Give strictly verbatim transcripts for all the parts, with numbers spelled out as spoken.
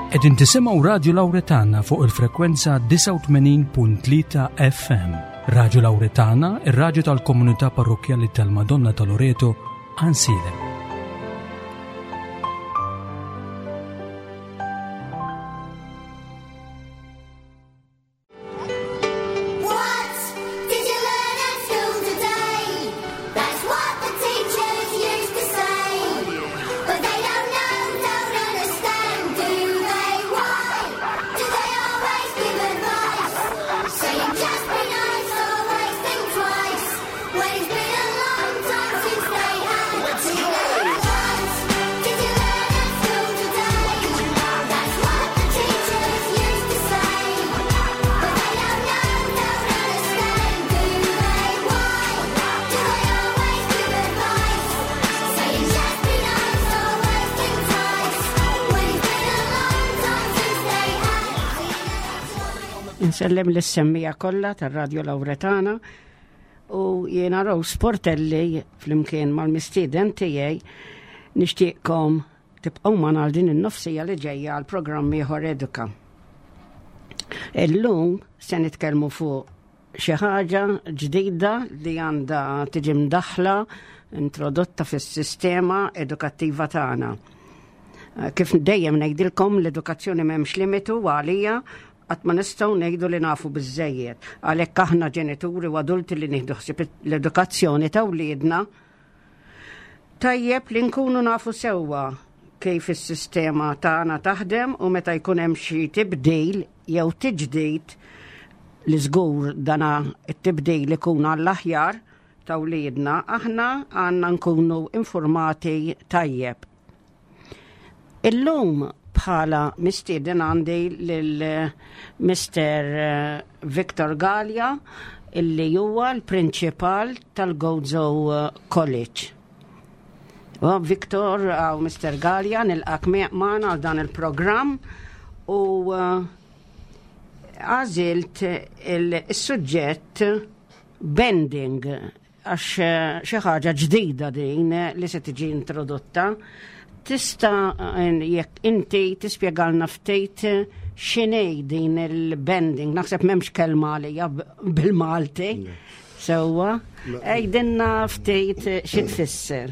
Qegħdin tisimgħu Radio Lauretana fuq il-frekwenza disgħa u tmenin punt tlieta F M. Radio Lauretana, ir-raġu tal-komunità parrokjali tal-Madonna tal-Loreto, Għajnsielem. What did you learn at school today? That's what the teachers used to say. But they don't know, don't understand, do they? Why do they always give advice? Saying just be nice, always think twice. When it's been a long time since they had What did you learn at school today? That's what the teachers used to say. But they don't know, don't understand, do they? Why do they always give advice? Saying just be nice, always think twice. When it's been a long time since they had Insellem lis-semmiegħa kollha tar-Radio Lauretana u jiena Rose Portelli flimkien mal-mistieden tiegħi nixtieqkom tibqgħu magħna għal din in-nofsija li ġejja għal programm ieħor Eduka. Illum se nitkellmu fuq xi ħaġa ġdida li għandha tiġi mdaħla, introdotta fis-sistema edukattiva tagħna. Kif dejjem ngħidilkom, l-edukazzjoni m'hemmx limitu għalija, qatt ma nistgħu ngħidu li nafu biżejjed. Għalhekk aħna ġenituri u adulti li nieħdu ħsieb l-edukazzjoni ta' wliedna, tajjeb li nkunu nafu sewwa kif is-sistema tagħna taħdem u meta jkun hemm xi tibdil jew tiġdid, li żgur dana it-tibdil ikun għall-aħjar ta' wliedna, aħna għandna nkunu informati tajjeb. Illum bħala mistieden għandi lil Mister Victor Gallia, illi huwa l-prinċipal tal-Gozo College. U Victor u Mister Gallia, nilqgħek magħna għal dan il-programm u għażilt il-suġġett banding għax xi ħaġa ġdida din li se tiġi introdotta. Tista' jekk inti tispjegalna ftit x'inhi din il-banding? Naħseb m'hemmx kelma għalija bil-Malti. Sewwa, għidilna ftit xi tfisser.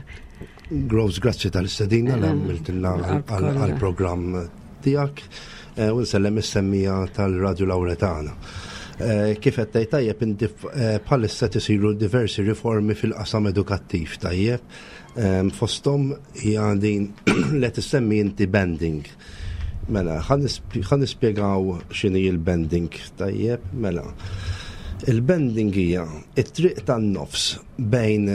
Rose, grazzi tal-istedina li għamiltilna għal-programm tiegħek u nsellem is-semmiegħa tal-Radio Lauretana. Kif qed tgħid tajjeb inti, bħalissa tisiru diversi riformi fil-qasam edukattiv, tajjeb. Fosthom hija din li tissemmi inti, banding. Mela, ħa nispjegaw x'inhi il-banding, tajjeb, mela. Il-banding hija it-triq tan-nofs bejn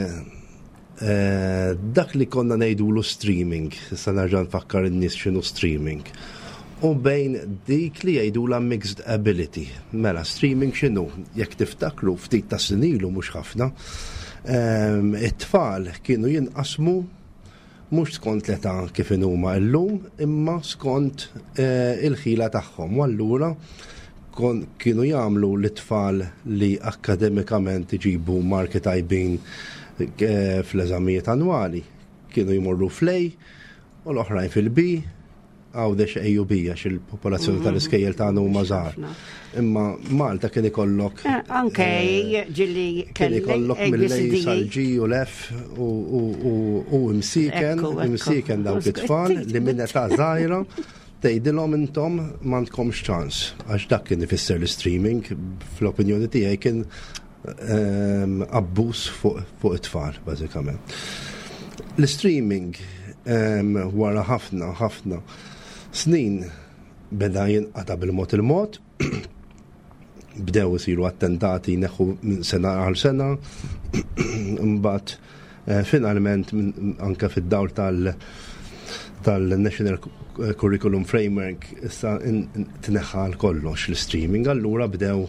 dak li konna ngħidulu streaming, issa nerġa' nfakkar in-nies x'inhu streaming, u bejn dik li jgħidula mixed ability. Mela, streaming x'inhu? Jekk tiftakru, ftit ta' snin ilu, mhux ħafna, it-tfal kienu jinqasmu mhux skont l-età kif huma llum, imma skont il-ħila tagħhom. U allura kienu jagħmlu l-tfal li akademikament iġibu marki tajbin fl-eżamijiet annwali kienu jmorru fl-A u l-oħrajn fil-B, Għawdex A u B, għax il-popolazzjoni tal-iskejjel tagħna huma żgħar. Imma Malta kien ikollok Anke ġieli kien ikollok mill-A sal-G u l-F u imsiken, imsiken dawk it-tfal li minn età żgħira tgħidilhom intom m'għandkomx ċans. Għax dak kien ifisser l-streaming, fl-opinjoni tiegħi kien abbuż fuq it-tfal, bażikament. L-streaming wara ħafna, ħafna snin beda jinqata bil-mod il-mod, bdew isiru attentati neħu minn sena għal sena, mbagħad finalment anke fid-dawl tal- tal-National Curriculum Framework issa tneħħa kollox l-streaming, allura bdew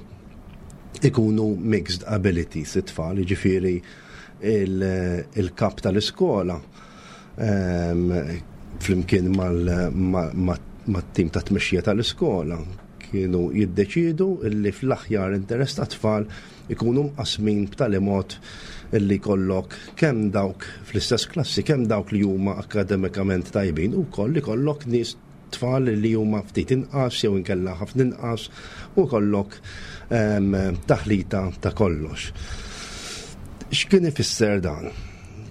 ikunu mixed abilities it-tfal, jiġifieri il-kap tal-iskola flimkien mat-tim ta' tmexxija tal-iskola kienu jiddeċidu illi fl-aħjar interess ta' tfal ikunu mqasmin b'tali mod illi kollok kemm dawk fl-istess klassi, kemm dawk li huma akademikament tajbin u koll li kollok nies tfal li huma ftit inqas jew inkella ħafna inqas u kollok ehm, taħlita ta' kollox. X'kien ifisser dan?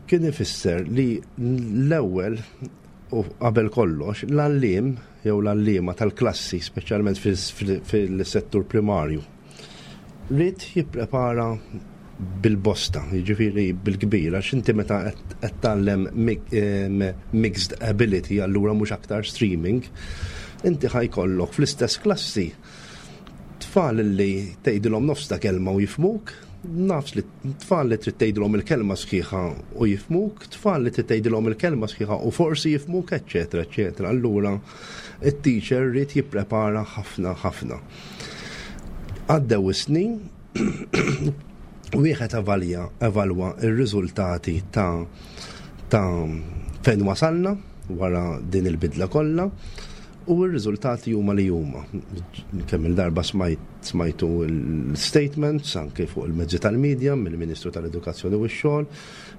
Kien ifisser li l-ewwel u qabel kollox l-għalliem jew l-għalliema tal-klassi, speċjalment fil-settur primarju, ried jipprepara bil-bosta, jiġifieri bil-kbir, għax inti meta qed tgħallem mixed ability, allura mhux aktar streaming, inti ħa jkollok fl-istess klassi tfal li tgħidilhom nofs ta' kelma u jifhmuk, nafs li tfal li trid tgħidilhom il-kelma sħiħa u jifhmuk, tfal li trid tgħidilhom il-kelma sħiħa u forsi jifhmuk, eċċetera, eċċetera. Allura it-teacher ried jipprepara ħafna ħafna. Għaddew is-snin, wieħed avalja evalwa ir-riżultati ta' ta' fejn wasalna wara din il-bidla kollha u r-riżultati huma li huma. Kemm il-darba smajt smajtu l-statements anke fuq il-mezzi tal-medja mill-Ministru tal-Edukazzjoni u x-Xogħol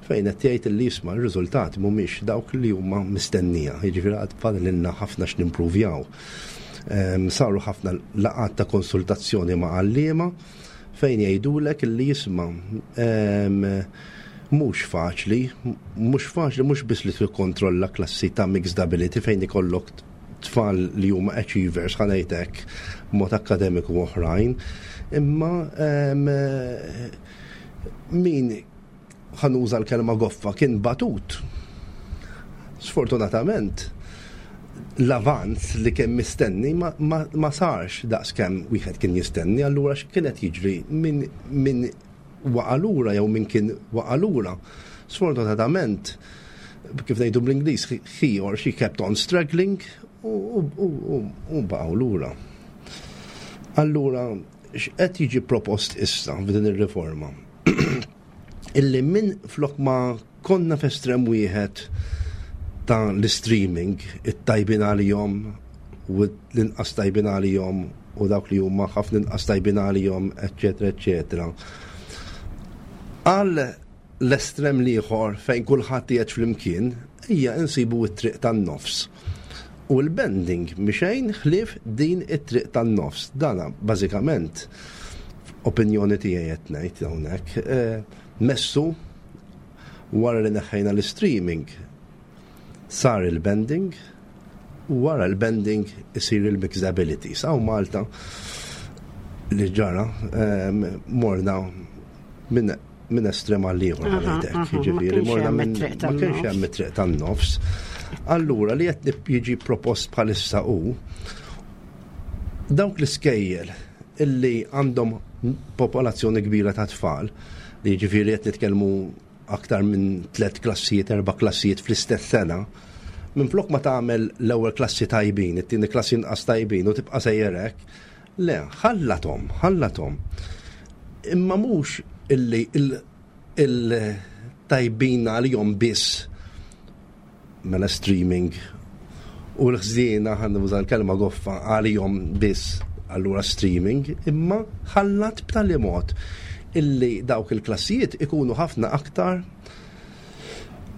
fejn qed jgħid li jisma' r-riżultati mhumiex dawk li huma mistennija. Jiġifieri għad fadlilna ħafna x'nimpruvjaw. Saru ħafna laqgħat ta' konsultazzjoni ma' għalliema fejn jgħidulek li jisma' mhux faċli, mhux faċli mhux biss li tikkontrolla klassi ta' mixed ability fejn ikollok tfal li huma achievers, ħa ngħidlek, mod akademiku oħrajn, imma min, ħa nuża l-kelma goffa, kien batut. Sfortunatament, l-avanz li kien mistenni ma, ma, ma sarx daqs kemm wieħed kien jistenni, allura x'kienet jiġri min, min waqa' lura jew min kien waqa' lura? Sfortunatament, kif ngħidu bl-Ingliż, he or she kept on struggling u, u, u, u baqgħu lura. Allura, x'qed jiġi propost issa f'din ir-riforma? Illi minn flok ma konna f'estrem wieħed ta' l-streaming, it-tajbin għalihom u l-inqas tajbin għalihom u dawk li huma ħafna inqas tajbin għalihom, eċċetera, eċċetera. Għal l-estrem l-ieħor fejn kulħadd qiegħed flimkien, hija insibu t-triq tan-nofs. U l-banding mxejn ħlief din it-triq tan-nofs. Dana bażikament opinjoni tiegħi qed ngħid hawnhekk. Eh, messu wara li neħħejna l-streaming sar il-banding u wara l-banding isir il-mixed abilities. Hawn Malta li ġara morna minn min estrem għal ieħor, ħa ngħidlek, jiġifieri morna minn ma kienx hemm it-triq tan-nofs. Allura li qed jiġi propost bħalissa hu dawk l-iskejjel illi għandhom popolazzjoni kbira ta' tfal, li jiġifieri qed nitkellmu aktar minn tliet klassijiet, erba' klassijiet fl-istess sena, minn flok ma tagħmel l-ewwel klassi tajbin, it-tieni klassi inqas tajbin u tibqa' sejjerek, le, ħallathom, ħallathom. Imma mhux illi il-tajbin għalihom biss mela streaming u l-ħżiena, ħa nuża l-kelma goffa, għalihom biss allura streaming, imma ħallat b'tali mod illi dawk il-klassijiet ikunu ħafna aktar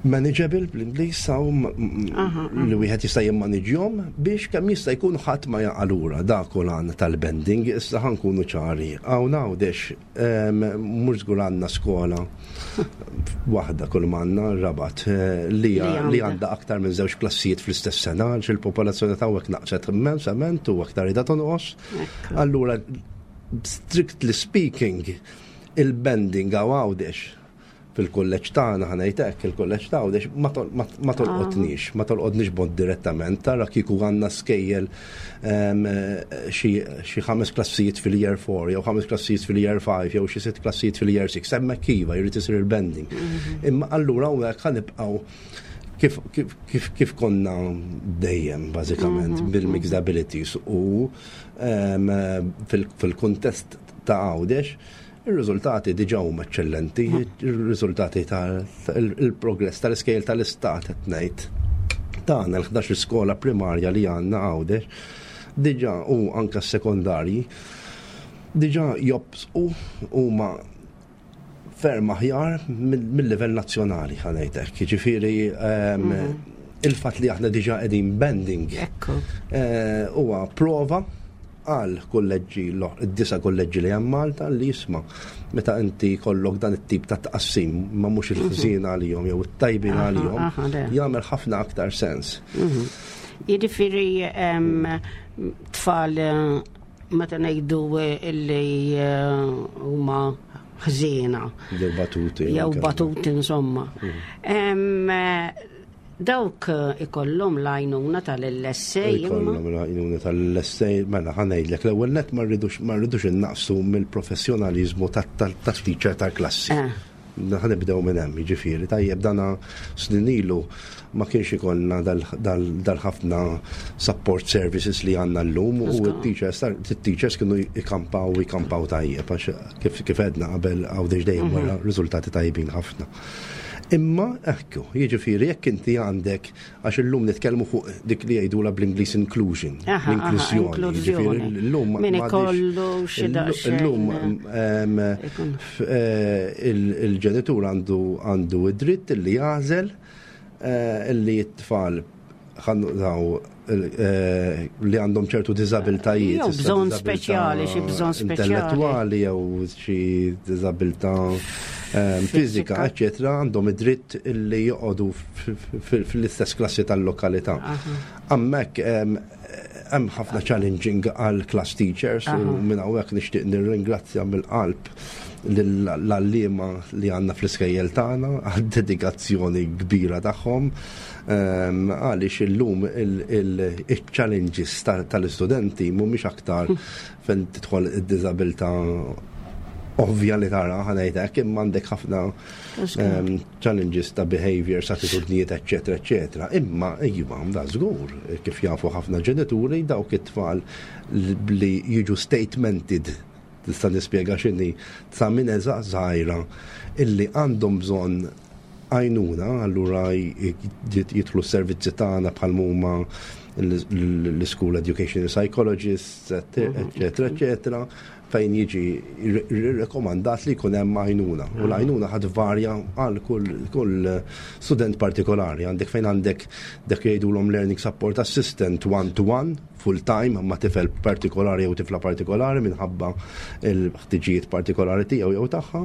manageable bl-Ingliż saw li wieħed jista' jimmaniġjhom biex kemm jista' jkun ħadd ma jaqa' lura. Dak l tal-banding. Issa ħa nkunu ċari. Hawn Għawdex mhux żgur għandna skola waħda kull m'għandna Rabat eh, li li għandha aktar minn żewġ klassijiet fl-istess sena għax il-popolazzjoni ta' hawnhekk naqset immensament u aktar qiegħda tonqos. Allura, strictly speaking, il-banding hawn Għawdex fil-kulleġġ tagħna, ħa ngħidlek, il-kulleġġ ta' Għawdex ma tolqotniex, ma tolqotniex b'mod direttament. Tara kieku għandna skejjel xi ħames klassijiet fil-year four jew ħames klassijiet fil-year five jew xi sitt klassijiet fil-year six, hemmhekk iva jrid isir il-banding. Mhm. Imma allura hawnhekk ħa nibqgħu kif, kif, kif, kif konna dejjem bażikament mhm. bil-mixed abilities u fil-kuntest ta' Għawdex il-riżultati diġa huma eċċellenti, il-riżultati tal-progress tal-iskejjel tal-istat qed ngħid. Tagħna l-ħdax skola primarja li għandna Għawdex diġa u anka s-sekondarji diġa jobsqu huma ferm aħjar mill-livell nazzjonali, ħa ngħidlek. Jiġifieri mhm. Il-fatt li aħna diġà qegħdin banding Ekku. eh, huwa prova għal kolleġġi, id-disa' kolleġġi li hemm Malta li jisma' meta inti kollok dan it-tip ta' tqassim ma mhux il-ħżien għalihom jew it-tajbin Aha, għalihom aha, le. jagħmel ħafna aktar sens. Mhm. Jiġifieri em, tfal eh, meta ngħidu eh, illi eh, huma ħżiena Jew batuti. jew anke. batuti insomma. Em, eh, Dawk eh, ikollhom l-għajnuna tal-L S A imma Ikollhom l-għajnuna tal-L S A, mela ħa ngħidlek, l-ewwel net ma rridux ma rridux innaqsu mill-professjonaliżmu tat-teacher tal-klassi. Eh. Ħa nibdew minn hemm, jiġifieri, tajjeb, dana snin ilu ma kienx ikollna dal-ħafna support services li għandna llum u t-teachers teachers kienu ikampaw ikampaw tajjeb għax kif kif għedna qabel, Għawdex dejjem wara riżultati tajbin ħafna. Imma ekku, jiġifieri jekk inti għandek, għax illum nitkellmu fuq dik li jgħidula bl-Ingliż inclusion, Aha, aha, l-inklużjoni. Inklużjoni. Jiġifieri llum Min m'għadix- ikollu xi daqsxejn, Illum em, ikun. f- eh, il- il-ġenitur għandu għandu id-dritt li jagħżel eh, li t-tfal daw eh, li għandhom ċertu diżabiltajiet. Jew issa bżonn diżabilità speċjali, xi bżonn speċjali. intellettwali jew xi diżabilità em, fizika, eccetera, għandhom id-dritt li joqogħdu f- f- fl-istess klassi tal-lokalità. Hemmhekk em, hemm ħafna challenging għal class teachers u minn hawnhekk nixtieq nirringrazzja mill-qalb l-għalliema li għandna fl-iskejjel tagħna għad-dedikazzjoni kbira tagħhom Em, għaliex illum il-challenges tal-istudenti mhumiex aktar fejn tidħol id-diżabilità ovvja li tara, ħa ngħidlek, imma għandek ħafna em, challenges ta' behaviors, attitudnijiet, eccetera, eccetera. Imma iva, da żgur, kif jafu ħafna ġenituri, dawk it-tfal li jiġu statemented, tista' nispjega x'inhi, sa minn età żgħira illi għandhom bżonn għajnuna, allura jidħlu s-servizzi tagħna bħal huma l-school educational psychologists, eccetera, eccetera, fejn jiġi rekomandat li jkun hemm għajnuna. U l-għajnuna ħad varja għal kull kull student partikolari. Għandek fejn għandek dak jgħidulhom learning support assistant one to one, full time, ma' tifel partikolari jew tifla partikolari minħabba il-ħtiġijiet partikolari tiegħu jew tagħha,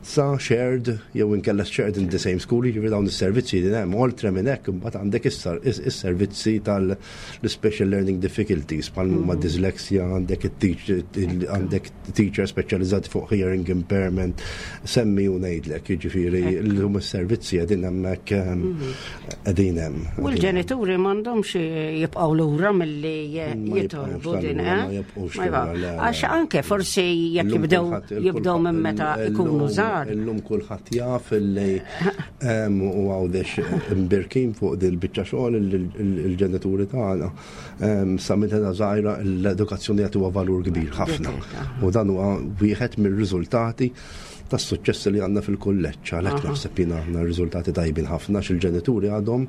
sa shared jew inkella shared in the same school, jiġifieri dawn is-servizzi li hemm. Oltre minn hekk imbagħad għandek is-servizzi tal-special learning difficulties bħal huma dyslexia, għandek it-teacher għandek teacher speċjalizzati fuq hearing impairment, semmi u ngħidlek, jiġifieri llum is-servizzi qegħdin hemmhekk, qegħdin hemm. U l-ġenituri m'għandhomx jibqgħu lura milli Ma jitolbu jibqgħux din, lura, eh? ma jibqgħux Ma jibqgħu. lura, le, le. Għax anke forsi jekk Illum jibdew kulħadd- jibdew minn meta illum- ikunu żgħar. Illum kulħadd jaf illi em, u Għawdex imbirkin fuq dil biċċa xogħol il-ġenituri tagħna em, sa minn età żgħira l-edukazzjoni jagħtuha valur kbir ħafna. U dan huwa wieħed mir-riżultati tas-suċċess li għandna fil-kulleġġ. Għalhekk naħseb jiena għandna riżultati tajbin ħafna x'il-ġenituri għadhom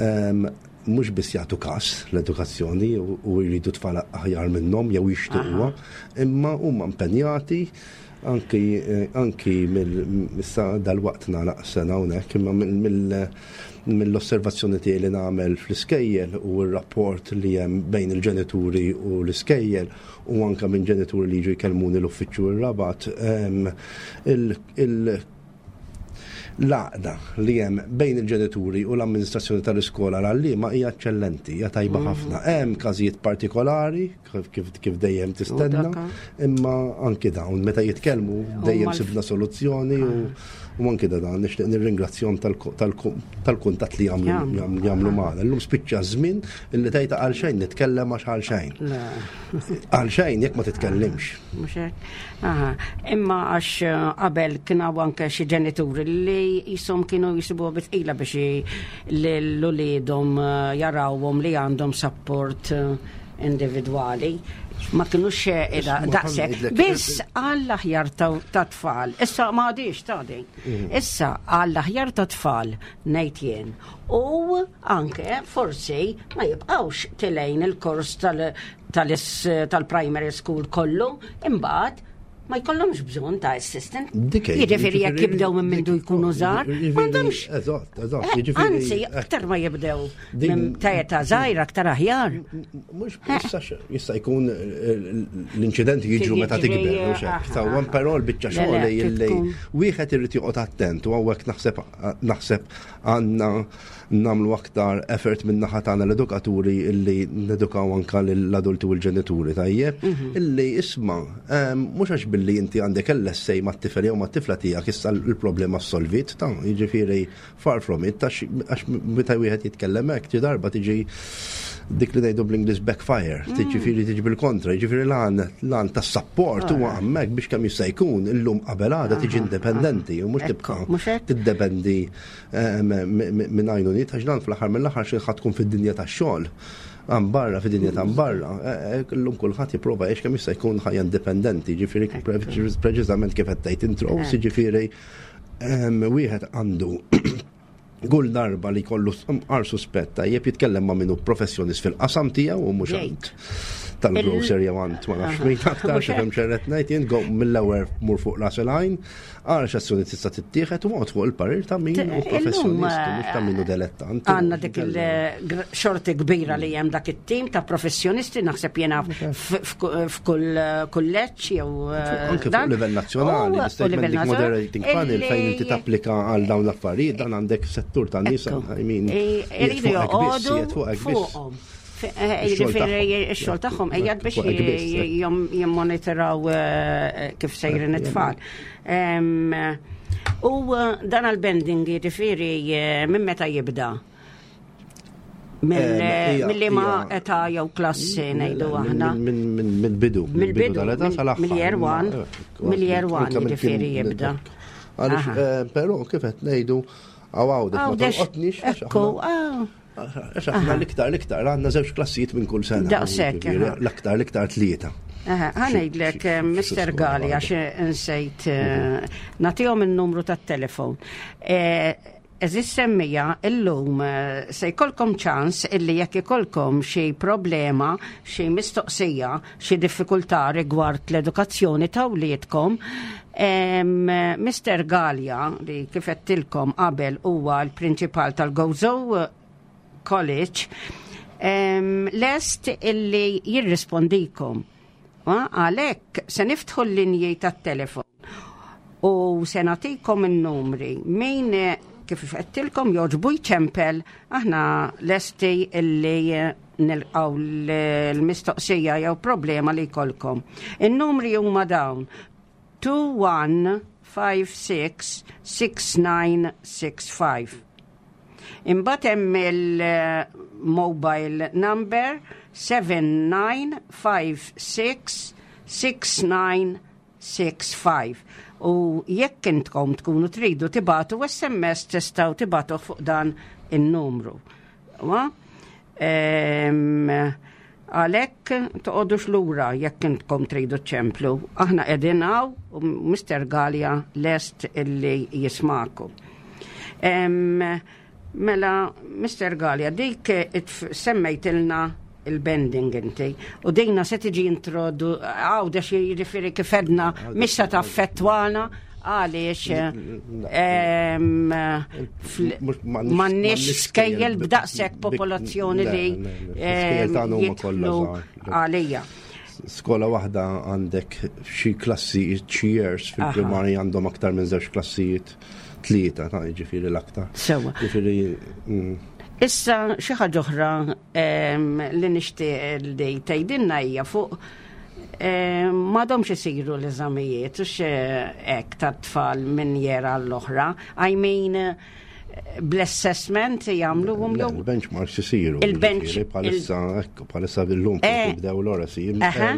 em, mhux biss jagħtu każ l-edukazzjoni u u jridu tfal aħjar minnhom jew jixtiequha, imma huma impenjati anki eh, anki mill issa dal-waqt nagħlaq sena hawnhekk, imma mill- mill-osservazzjoni tiegħi li nagħmel fl-iskejjel u r-rapport li hemm bejn il-ġenituri u l-iskejjel u anka minn ġenituri li jiġu jkellmuni l-uffiċċju ir-Rabat, em, il- il- l-għaqda li hemm bejn il-ġenituri u l-amministrazzjoni tal-iskola l-għalliema hija eċċellenti, hija tajba ħafna. Hemm każijiet partikolari kif, kif, kif dejjem tistenna, U dak. imma anki dawn meta jitkellmu dejjem mal- sibna soluzzjoni u u anki da dan nixtieq nirringrazzjahom tal-kuntatt li jagħmlu Jagħmlu. jagħmlu jagħmlu magħna. Illum spiċċa żmien illi tgħid għal xejn nitkellem għax għal xejn. Le. Għal xejn jekk ma titkellimx. Mhux hekk? Aha. Imma għax eh, qabel kien hawn anke xi ġenituri li jisom kienu jisibuha bi tqila biex i- l-uliedhom eh, jarawhom li għandhom support eh, individwali. Ma kienux eh, ida Isma' daqshekk. ħa ngħidlek- Biss għall-aħjar ta' ta' tfal. Issa ma għadix ta' din. Issa għall-aħjar ta' tfal ngħid jien. U anke forsi ma jibqgħux telgħin il-kors tal- tal-is- tal-primary school kollu, imbagħad Ma jkollhomx bżonn ta' assistant. Dik hi, Jiġifieri jekk jiġifieri- jibdew minn mindu jkunu żgħar, Jiġifieri- m'għandhomx. Eżatt, eżatt. Eh, Jiġifieri- Anzi, aktar ma jibdew Din- minn ta' età żgħira aktar aħjar. Mhux jista' jista' jkun eh, l-inċidenti jiġru meta Jiġri, tikber, mhux hekk. aha, Sewwa, aha. però l-biċċa Le, xogħol le, li tkun- wieħed irid joqgħod attent u hawnhekk naħseb naħseb għandna nagħmlu aktar effort minn naħa tagħna l-edukaturi illi nedukaw anka lill-adulti u l-ġenituri, tajjeb, Mhm. illi isma' em, mhux għax billi inti għandek L S A mat-tifel jew mat-tifla tiegħek issa l-problema solvit, ta' jiġifieri far from it, għax għax meta wieħed jitkellem hekk, xi darba tiġi dik li ngħidu bl-Ingliż backfire, tiġifieri tiġi bil-kontra, jiġifieri l-għan l-għan tas-support huwa hemmhekk biex kemm jista' jkun illum qabel għada tiġi indipendenti u mhux Ekku, tibqa' mhux hekk? tiddependi eh, minn għajnuniet, għax dan fl-aħħar mill-aħħar xi ħadd tkun fid-dinja tax-xogħol. Għan barra, fid-dinja ta' barra, eh, eh, illum kulħadd jipprova jgħix kemm jista' jkun ħajja indipendenti, ġifieri preċiżament kif qed tgħid intro, jiġifieri em, wieħed għandu kull darba li kollu għar suspetta jeb jitkellem ma' minnu professjonist fil-qasam tiegħu u mhux Jgħid. għand tal-grocer jew għand ma nafx min aktar. Mhux Xifhem x'irrid ngħid jien? Go mill-ewwel mur fuq ras il-għajn, għara x'azzjoni tista' tittieħed u għod fuq il-parir ta' min hu professjonist u mhux ta' min hu dilettant. Għandna dik il-xorti kbira li hemm dak it-tim ta' professjonisti, naħseb jena f'kull kulleġġ jew eh, Anke fuq dan. livell nazzjonali, U- u l-statement livell dik nazzjonali, moderating panel fejn inti illi- tapplika għal dawn l-affarijiet, dan għandek settur ta' nies, Ekku. I mean, E- qiegħed Iridu fuqek biss, joqogħdu qiegħed fuqek biss. fuqhom. Fe- eh, Ix-xogħol Jiġifieri tagħhom. ix-xogħol tagħhom qiegħed biex Fuqek biss, j- jom- jimmonitoraw eh, kif sejrin it-tfal. Em, U eh, dan għal-bending, jiġifieri eh, minn meta jibda? Em, hija- Mill-li ma hija- età jew klassi ngħidu aħna. Minn minn bidu. Mill-bidu, tal-età mill- sal-aħħar. mill-year one, Eh, mill-year one anke mill- jiġifieri jibda. Għaliex, Aha. eh, però kif qed ngħidu għaw Għawdex ma Għawdex, tolqotniex għax ekku, aħna- ah, għax aħna l-iktar l-iktar għandna żewġ klassijiet minn kull sena. Daqshekk, Jiġifieri, aha. L-aktar l-iktar tlieta. Aha, ħa ngħidlek, Xi- xi- Mister xi skola Gali, waħda. għax insejt, eh, nagħtihom il-numru tat-telefon. Eh, Għeżież semmiegħa, illum eh, se jkollkom ċans illi jekk ikollkom xi problema, xi mistoqsija, xi diffikultà rigward l-edukazzjoni ta' wliedkom, em, Mister Gallia, li kif għedtilkom qabel huwa l-prinċipal tal-Gozo College, em, lest illi jirrispondikom. Ah, Għalhekk se niftħu l-linji tat-telefon u se nagħtikom il-numri. Min eh, kif għedtilkom jogħġbu jċempel, aħna lesti illi eh, nilqaw l-mistoqsija jew problema li jkollkom. Il-numri huma dawn: two one five six six nine six five. Imbagħad hemm il-mobile number seven nine five six six nine six five. U jekk intkom tkunu tridu tibagħtu S M S, tistgħu tibagħtu fuq dan in-numru. Wa? Em, Għalhekk toqogħdux lura jekk intkom tridu ċemplu. Aħna qegħdin hawn u Mister Gallia lest illi jismaku. Em, Mela, Mister Gallia, dik it- semmejtilna il-bending inti. U dejna se tiġi introdu, Għawdex, jiġifieri kif għedna, mhix se taffettwana għaliex em, fl- Mhux- m'għandniex- m'għandniex skejjel bi- b'daqshekk bi- popolazzjoni le, li le, le, l-iskejjel tagħna huma kollha jidħlu żgħar. għalija. Skola waħda għandek xi klassi, xi years fil-primarja għandhom aktar minn żewġ klassijiet, tlieta, ta' jiġifieri l-aktar. Sewa. Jiġifieri mm, Issa xi ħaġa oħra em, li nixtieq li tgħidilna hija fuq em, m'għadhomx isiru l-eżamijiet u hekk tat-tfal minn year għall-oħra. I mean, bl-assessment jagħmluhom Le, jew il-benchmarks isiru. Il-bench- Jiġifieri bħalissa, ekku, bħalissa bil-lum Eh. jibdew l-ora si. Aha.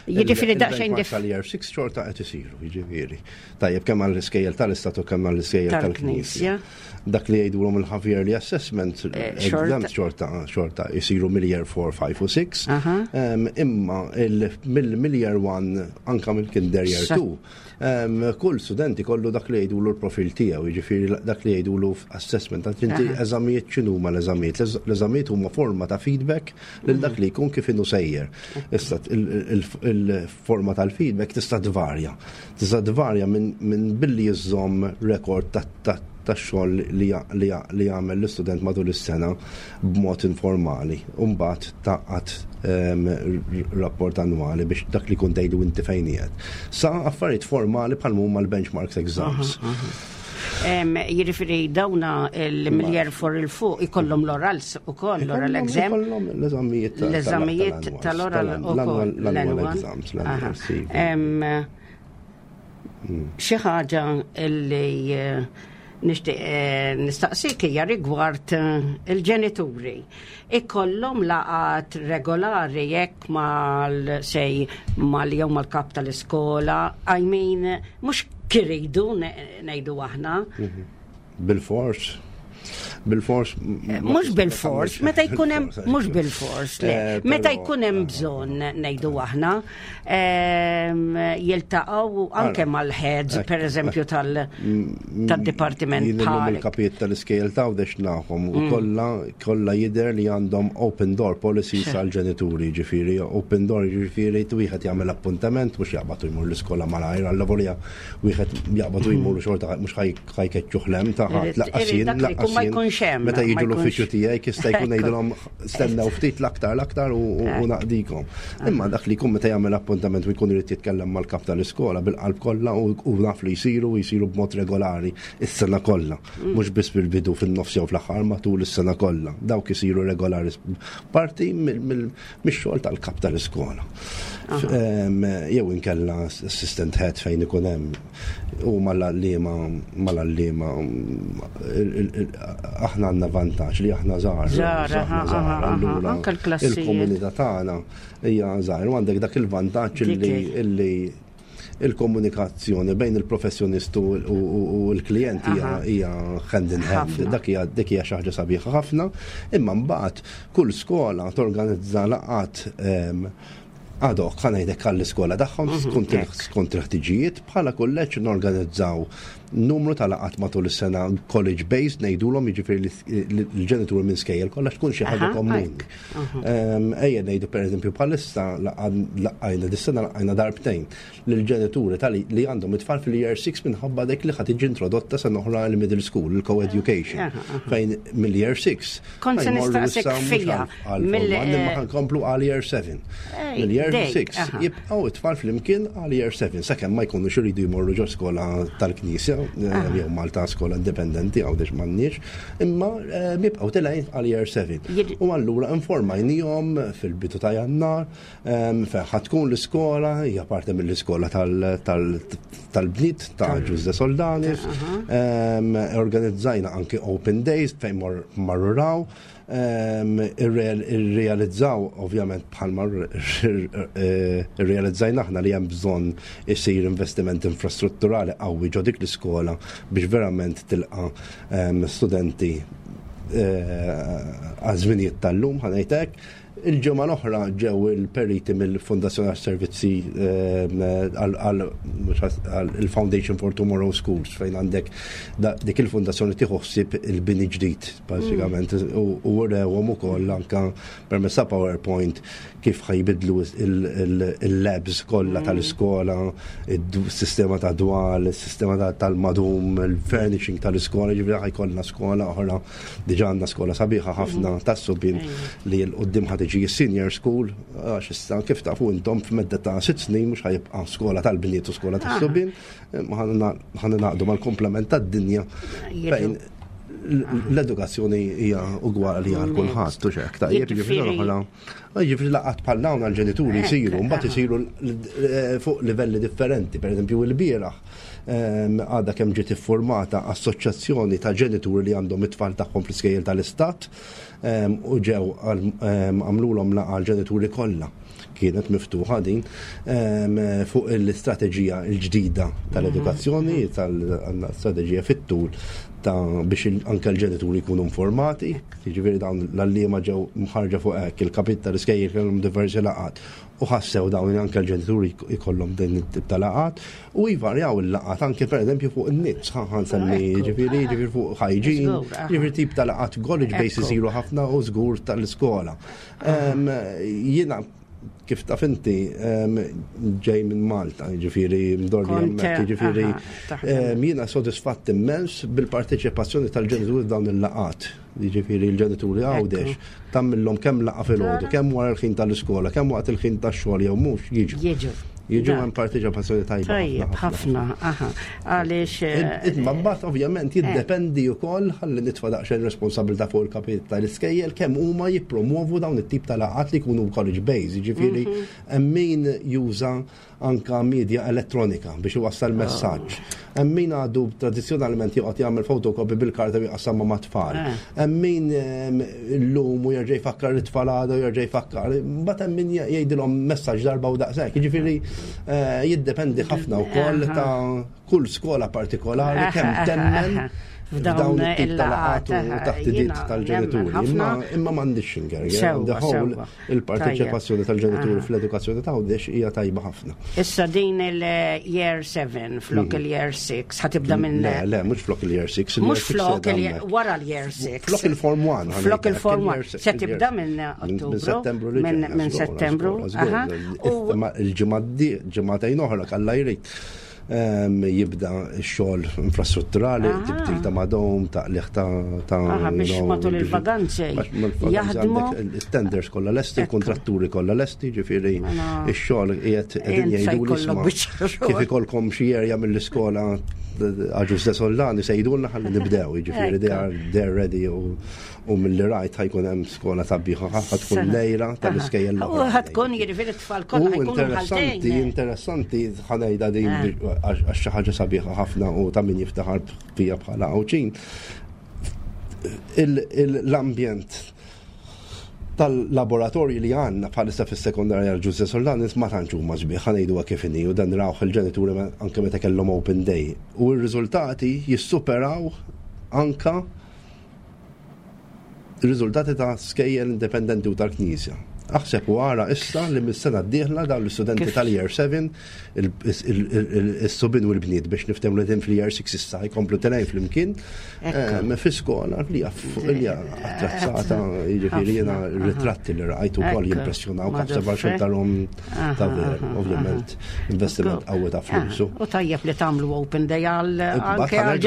Jiġifieri daqsxejn Il-benchmarks dif- tal-year six xorta qed isiru, jiġifieri. Tajjeb, kemm għall-iskejjel tal-istat u kemm għall-iskejjel Tal-Knisja. tal-Knisja. Dak li jgħidulhom il-half yearly assessment Eh, xorta- exams xorta xorta jisiru mill-year four, five u six. Aha. Em, Imma il- mill- mill-year one anka mill-kinder year Sa- two, em, kull studenti kollu dak li jgħidulu l-profil tiegħu, jiġifieri dak li jgħidulu Assessment. Għax inti eżamijiet, x'inhuma l-eżamijiet? L-eżamijiet huma forma ta' feedback lil dak li jkun kif inhu sejjer. Issa il-forma tal-feedback tista' tvarja. Tista' tvarja minn billi jiżomm rekord ta' xogħol li li jagħmel l-istudent matul is-sena b'mod informali. U mbagħad taqgħad rapport annwali biex dak li kun tgħidu inti fejn qiegħed. Sa affarijiet formali bħal huma l-benchmarks exams. Jiġifieri dawna il-mill-year four 'il fuq ikollhom l-orals ukoll, l-oral exam. Ikollhom l-eżamijiet. L-eżamijiet tal-oral ukoll. L-annual exams. Xi ħaġa li eh, nixtieq eh, nistaqsik hija rigward eh, il-ġenituri. Ikollhom laqat regolari jekk mal sej mal jew mal-kap tal-iskola, I mean, mhux kiridu ngħidu aħna. Mhm. Bil-fors. Bil-fors. Mhux bil-fors, meta jkun hemm, mhux bil-fors, le. Eh, meta jkun hemm bżonn, ngħidu aħna, jiltaqgħu anke mal-heads, per eżempju, tal-dipartiment. Bħal il-kapijiet tal-iskejjel ta' Għawdex nafhom u mm. kollha kollha jidher li għandhom open door policies għal ġenituri, ġifieri open door, ġifieri wieħed jagħmel appuntament, mhux jaqbad jmur l-iskola malajr, għal wieħed jaqbad jmur xorta mhux ħa jkeċċuh 'l hemm ta' ħadd, lanqas jien, ma jkunx hemm. Meta jiġu l-uffiċċju tiegħi jista' jkun ngħidulhom stennew ftit l-aktar l-aktar u naqdikom. Imma dak li jkun meta jagħmel appuntament u jkun irid jitkellem mal-kap tal-iskola, bil-qalb kollha, u naf li jsiru jsiru b'mod regolari is-sena kollha. Mhux biss bil-bidu, fin-nofs jew fl-aħħar, matul is-sena kollha. Dawk isiru regolari, parti mix-xogħol tal-kap tal-iskola. Jew inkella assistant head fejn ikun hemm u mal-għalliema mal-għalliema aħna għandna vantaġġ li aħna żgħar. Allura il-komunità tagħna hija żgħar u għandek dak il-vantaġġ illi il-komunikazzjoni bejn il-professjonistu u l-klient hija hand in hand. Dak hija dik hija xi ħaġa sabiħa ħafna, imma mbagħad kull skola torganizza laqgħat ad hoc, ħa ngħidlek, għall-iskola tagħhom mhm, skont il-ħtiġijiet. Bħala kulleġġ norganizzaw numru ta' laqgħat matul is-sena college based ngħidulhom, jiġifieri l-ġenituri minn skejjel kollha tkun xi ħaġa komuni. Ejja ngħidu, pereżempju, bħalissa laqajna dis-sena laqajna darbtejn lill-ġenituri li għandhom it-tfal fil-year six minħabba dik li ħa tiġi introdotta sena oħra l-middle school, il-co-education, fejn mill-year six. Kont se nistaqsik fija. Imma nkomplu għal year seven. Mill-year six jibqgħu it-tfal flimkien għal year seven sakemm ma jkunux iridu jmorru ġo skola tal-Knisja eh, jew Malta skola indipendenti, Għawdex m'għandniex, imma eh, jibqgħu telgħin għal year seven. U allura informajnihom fil-bidu ta' Jannar fejn ħa tkun l-iskola, hija parti mill-iskola tal-bniet ta' Ġużè Soldanis. Organizzajna anki open days fejn marru raw, irrealizzaw ovvjament bħalma irrealizzajna aħna li hemm bżonn isir investiment infrastrutturali qawwi ġo dik l-iskola biex verament tilqa studenti eh, għaż-żminijiet tal-lum, ħa ngħidlek. Il-ġimgħa l-oħra ġew il-periti mill-Fondazzjoni għas-Servizzi għal il-Foundation for Tomorrow Schools, fejn għandek dik il-fondazzjoni tieħu ħsieb il-bini ġdid bażikament u urewhom ukoll anka permezz ta' PowerPoint kif ħa jbiddlu il-labs kollha tal-iskola, il-sistema ta' dwal, il-sistema tal-madum, il-furnishing tal-iskola, ġifieri ħa jkollna skola oħra, diġà għandna skola sabiħa ħafna tas-subien li 'l quddiem ħa tiġi senior school, għax issa kif tafu intom f'medda ta' sitt snin mhux ħa jibqa' skola tal-bniet u skola tas-subien, ħa ningħaqdu mal-komplement tad-dinja fejn l-edukazzjoni hija ugwali għal kulħadd u xek ta' ġifieri oħra. Ġifieri laqgħat bħal dawn għall-ġenituri jsiru, mbagħad isiru fuq livelli differenti, pereżempju l-bieraħ għadha kemm ġiet iffurmata assoċjazzjoni ta' ġenituri li għandhom it-tfal tagħhom fl-iskejjel tal-istat u ġew għamlulhom laqgħa l-ġenituri kollha, kienet miftuħa din, fuq l-istrateġija l-ġdida tal-edukazzjoni, tal-istrateġija fit-tul Ta' biex anke l-ġenituri jkunu informati, jiġifieri dawn l-għalliema ġew mħarrġa fuq hekk, il-kapijiet tal-iskejjel kellhom diversi laqgħat u ħassew dawn anke l-ġenituri jkollhom din it-tip ta' laqgħat u jvarjaw il-laqgħat anke pereżempju fuq in-nits, ħa nsemmi, jiġifieri jiġifieri fuq hygiene, jiġifieri tip ta' laqgħat college base isiru ħafna u żgur tal-iskola. Jiena, kif taf inti, ġej minn Malta, ġifieri mdorri hemmhekk, ġifieri jiena sodisfatt immens bil-parteċipazzjoni tal-ġenituri dawn il-laqgħat. Ġifieri l-ġenituri Għawdex tagħmlilhom kemm laqgħa filgħodu, kemm wara l-ħin tal-iskola, kemm waqt il-ħin tax-xogħol jew mhux, jiġu. Jiġu. Jiġu, hemm parteċipazzjoni tajba. Tajjeb ħafna, aha. Għaliex. Eh, Imma mbagħad ovvjament jiddependi wkoll, ħalli nitfa' daqsxejn responsabilità fuq il-kapijiet tal-iskejjel, kemm huma jippromovu dawn it-tip ta' laqgħat li jkunu college base, jiġifieri mhm. hemm min juża anka media elettronika biex iwassal oh. messaġġ. Hemm min għadu tradizzjonalment joqgħod jagħmel fotokopi bil-karta u jqassamha mat-tfal. Eh. Hemm min illum u jerġa' jfakkar it-tfal għada u jerġa' jfakkar. Mbagħad hemm min jgħidilhom messaġġ darba u daqshekk. Jiġifieri eh, jiddependi ħafna wkoll ta' kull skola partikolari kemm temmen f'dawn it-tip ta' laqgħat u taħdidiet tal-ġenituri. Imma imma m'għandix ingerger. The whole il-parteċipazzjoni tal-ġenituri fl-edukazzjoni ta' Għawdex hija tajba ħafna. Issa din il-year seven flok mm. il-year six ħa tibda minn. Le, le, mhux flok il-year six. Mhux flok, wara l-year six. Flok il-form one. Flok il-form one. Se tibda minn Ottubru. Minn Settembru. Minn Settembru. Il-ġimgħa ġimgħatejn oħra, Alla jrid, jibda x-xogħol infrastrutturali, tibdil ta' madum, ta' liħ ta' ta' biex matul il-vaganzi jaħdmu. Il-tenders kollha lesti, il-kontratturi kollha lesti, ġifieri mela, x-xogħol qiegħed qegħdin jgħidu li kif ikolkom xi area mill-iskola Agius de Sollani se jgħidulna ħalli nibdew, jiġifieri they are they're ready u u mill-li rajt ħa jkun hemm skola sabiħa, ħa tkun lejra tal-iskejjel. U ħa tkun jiġifieri t-tfal kollha ħa jkunu interessanti, interessanti ħa ngħidha din eh. għax xi ħaġa sabiħa ħafna u ta' min jiftaħar fija bħala Għawdxin. L-ambjent tal-laboratorji li għandna bħalissa fis-sekondarja Agius de Sollanis ma tantx huma sbieħ, ħa ngħidu kif inhi, u dan rawh il-ġenituri anke meta kellhom open day. U r-riżultati jissuperaw anka riżultati ta' skejjel indipendenti u tal-Knisja. Aħseb u ara issa li mis-sena d-dieħla dawn l-istudenti tal-year seven, is-subien u l-bniet, biex niftehmu li din fil-year six issa jkomplu telgħin flimkien fi skola li hija attrezzata, jiġifieri jiena ritratti li rajt ukoll jimpressjonaw, aħseb għal tarahom ta' veru, ovvjament investiment qawwi ta' flus. U tajjeb li tagħmlu open day għal anke għal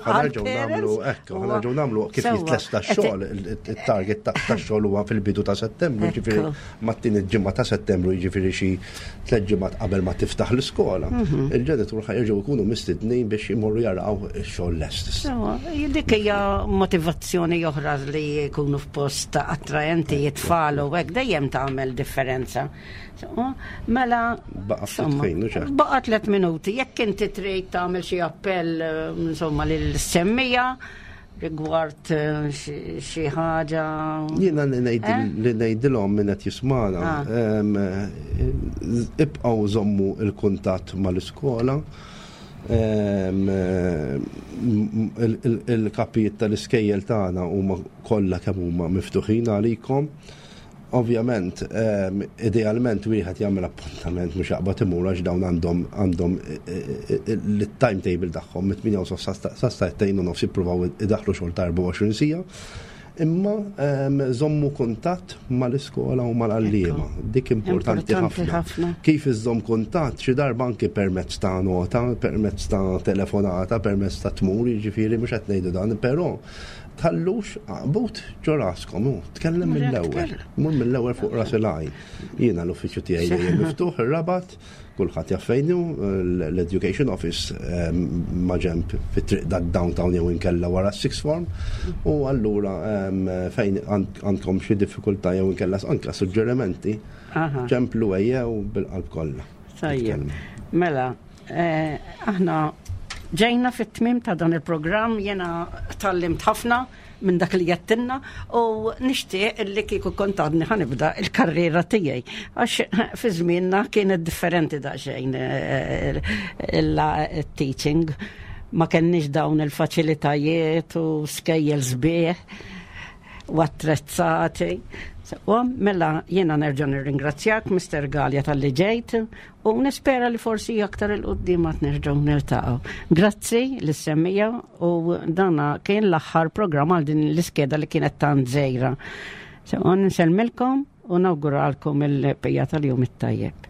ħa nagħmlu, ekku, ħa nerġgħu nagħmlu kif jitlesta x-xogħol, il-target tax-xogħol huwa fil-bidu ta' Settembru, ġifieri mat-tieni ġimgħa ta' Settembru, jiġifieri xi tliet ġimgħat qabel ma tiftaħ l-iskola. Mhm. Il-ġenitur ħa jerġgħu jkunu mistednin biex imorru jaraw ix-xogħol lest. Dik hija motivazzjoni oħra li jkunu f'post attraenti it-tfal u hekk dejjem tagħmel differenza. Mela, baqa' tliet minuti, jekk inti trid tagħmel xi appell, insomma, lil-semmiegħa rigward eh, xi ħaġa. Jiena li eh? ngħidilhom min qed jismana, ah. ibqgħu żommu il-kuntatt mal-iskola. Il-kapijiet tal-iskejjel tagħna huma kollha kemm huma miftuħin għalikom. Ovvjament, idealment wieħed jagħmel appuntament, mhux jaqbad imur, għax dawn għandhom għandhom il-timetable tagħhom mit-tmienja u sa sagħtejn u nofs jippruvaw idaħlu xogħol ta' erbgħa u għoxrin siegħa. Imma żommu kuntatt mal-iskola u mal-għalliema. Dik importanti ħafna. Kif iżżomm kuntatt? Xi darba anki permezz ta' nota, permezz ta' telefonata, permezz ta' tmur, jiġifieri mhux qed ngħidu dan, però tħallux għaqbut ġo raskom, tkellem mill-ewwel. Mur mill-ewwel fuq ras il-għajn. Jiena l-uffiċċju tiegħi dejjem miftuħ ir-Rabat, kulħadd jaf fejn hu, l-Education Office maġenb fit-triq da downtown jew inkella wara sixth form, u allura fejn għandkom xi diffikultà jew inkella anke suġġerimenti, ċemplu, ejjew bil-qalb kollha. Tajjeb. Mela, eh, aħna ġejna fit-tmim ta' dan il-programm, jena tgħallimt ħafna minn dak li għedtilna u nixtieq li kieku kont għadni ħa nibda il-karriera tiegħi. Għax fi żmienna kienet differenti daqsxejn eh, il-teaching. Ma kenniex dawn il-faċilitajiet u skejjel sbieħ u attrezzati. U mela jiena nerġa' nirringrazzjak, Mister Galea, talli ġejt u nispera li forsi aktar 'il quddiem għad nerġgħu niltaqgħu. Grazzi lis-semmiegħa u dana kien l-aħħar programm għal din l-iskeda li kienet tant żgħira. So, nsellmilkom u nawguralkom il-bqija tal-jum it-tajjeb.